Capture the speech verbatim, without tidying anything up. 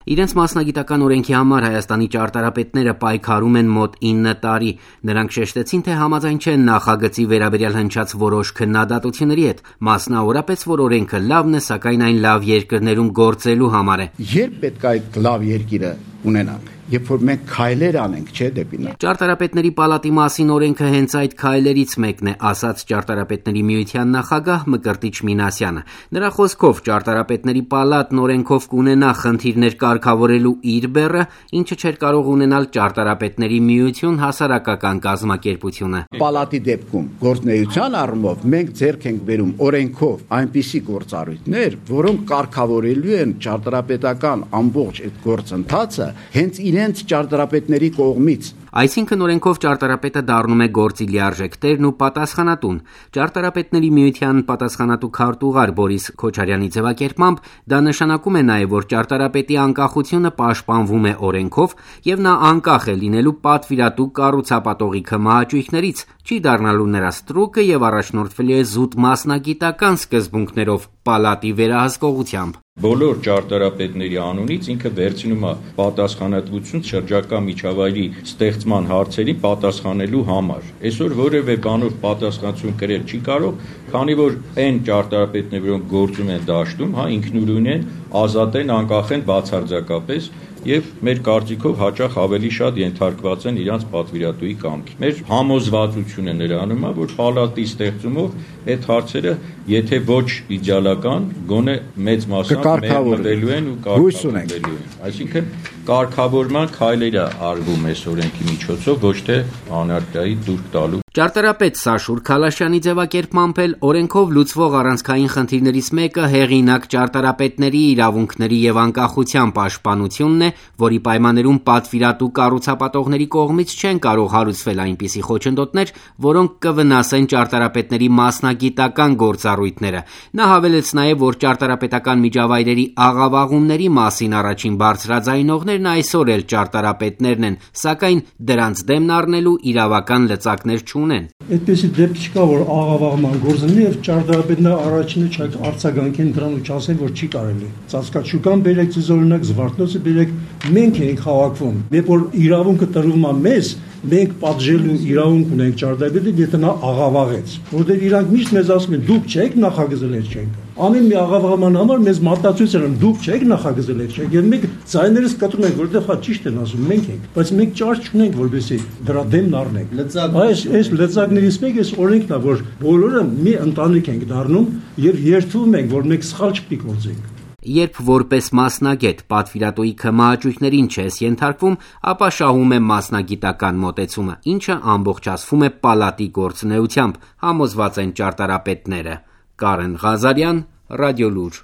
Իրենց մասնագիտական օրենքի համար Հայաստանի ճարտարապետները պայքարում են մոտ ինը տարի։ Նրանք շեշտեցին, թե համաձայն չեն նախագծի վերաբերյալ հնչած որոշ քննադատությունների հետ, մասնավորապես, որ օրենքը լավն է, սակայն այն լավ երկրներում գործելու համար է։ Երբ պետք է այդ լավ երկիրը ունենանք, երբ որ մենք քայլեր անենք, չէ, դեպի նա։ Ճարտարապետների պալատի մասին օրենքը հենց այդ քայլերից մեկն է, ասաց Ճարտարապետների միության նախագահ Մկրտիչ Մինասյանը։ Նրա խոսքով ճարտարապետների պալատն օրենքով կունենա խնդիրներ կարգավորելու իր բեռը, ինչը չէր կարող ունենալ Ճարտարապետների միություն հասարակական կազմակերպությունը։ Պալատի դեպքում գործնեայության առումով մենք ձեռք ենք բերում օրենքով այնպիսի գործառույթներ, որոնք կարգավորելու են ճարտարապետական ամբողջ այդ գործընթացը հենց իրենց ճարտարապետների կողմից։ Այսինքն օրենքով ճարտարապետը դառնում է գործի լիարժեք տերն ու պատասխանատուն։ Ճարտարապետների միության պատասխանատու քարտուղար Բորիս Քոչարյանի ձևակերպմամբ դա նշանակում է նաև, որ ճարտարապետի անկախությունը պաշտպանվում է օրենքով եւ նա անկախ է լինելու պատվիրատու կառուցապատողի քմահաճույքներից, չի դառնալու նրա ստրուկը եւ առաջնորդվելու է զուտ մասնագիտական սկզբունքներով պալատի վերահսկողությամբ։ Բոլոր ճարտարապետների անունից ինքը վերցնում է պատասխանատվություն շրջակա միջավայրի ստեղծման հարցերին պատասխանելու համար։ Այսօր որևէ բանով պատասխանատվություն կրել չի կարող, քանի որ այն ճարտարապետները, որոնք գործում են դաշտում, հա ինքնուրույն են, ազատ են, անկախ են բացարձակապես եւ մեր կարծիքով հաճախ ավելի շատ ենթարկված են իրանց պատվիրատուի կամքի։ Մեր համոզվածությունը նրանում է, որ պալատի ստեղծումով այդ հարցերը, եթե ոչ իդեալական, գոնե մեծ մասամբ մերմտելու են ու կարգավորվելու են։ Այսինքն կարգավորման քայլեր է արվում այս օրենքի միջոցով, ոչ թե անարգայի դուրք տալու։ Ճարտարապետ Սաշուր Քալաշյանի ձևակերպմամբ էլ օրենքով լուծվող առանցքային խնդիրներից մեկը հեղինակ ճարտարապետների իրավունքների եւ անկախության պաշտպանությունն է, որի պայմաններում պատվիրատու կառուցապատողների կողմից չեն կարող հարուցվել այնպիսի խոչընդոտներ, որոնք կվնասեն ճարտարապետների մասնագիտական գործառույթները։ Նա հավելեց նաեւ, որ ճարտարապետական միջավայրերի աղավաղումների մասին առաջին բարձրաձայնողներն այսօր էլ ճարտարապետներն են, սակայն դրանց դեմն առնելու իրավական լծակներ չունեն։ Այդպեսի դեպք չկա, որ աղավաղման գործնի եւ ճարտարապետները առաջինը չեք արձագանքեն դրան ու չասեն, որ չի կարելի։ Ծածկաչուկան բերեք ցույց օրինակ, Զվարթնոցը բերեք, մենք ենք հավաքվում։ Երբ որ իրավունքը տրվում է մեզ, մենք պատժելու իրավունք ունենք ճարտարապետին, եթե նա աղավաղեց, որտեղ իրանք միշտ մեզ ասում են դուք չեք նախագծել այդ չենք։ Ամեն մի աղավաղման համար մեզ մատածույց են դուք չեք նախագծել այդ չենք, եւ մենք ձայներս կտրում ենք, որտեղ հա ճիշտ են ասում, մենք ենք, բայց մենք ճարճ չունենք, որովհետեւ դրա դեմն առնենք։ Այս այս լծակներից մեկը այս օրենքն է, որ բոլորը մի ընտանիք ենք դառնում եւ երթվում ենք, որ մենք սխալ չպիտի գործենք։ Երբ որպես մասնագետ պատվիրատուի քմահաճույքներին չես ենթարկվում, ապա շահում է մասնագիտական մոտեցումը, ինչը ամբողջացվում է պալատի գործունեությամբ, համոզված են ճարտարապետները։ Կարեն Ղազարյան, Ռադիոլուր։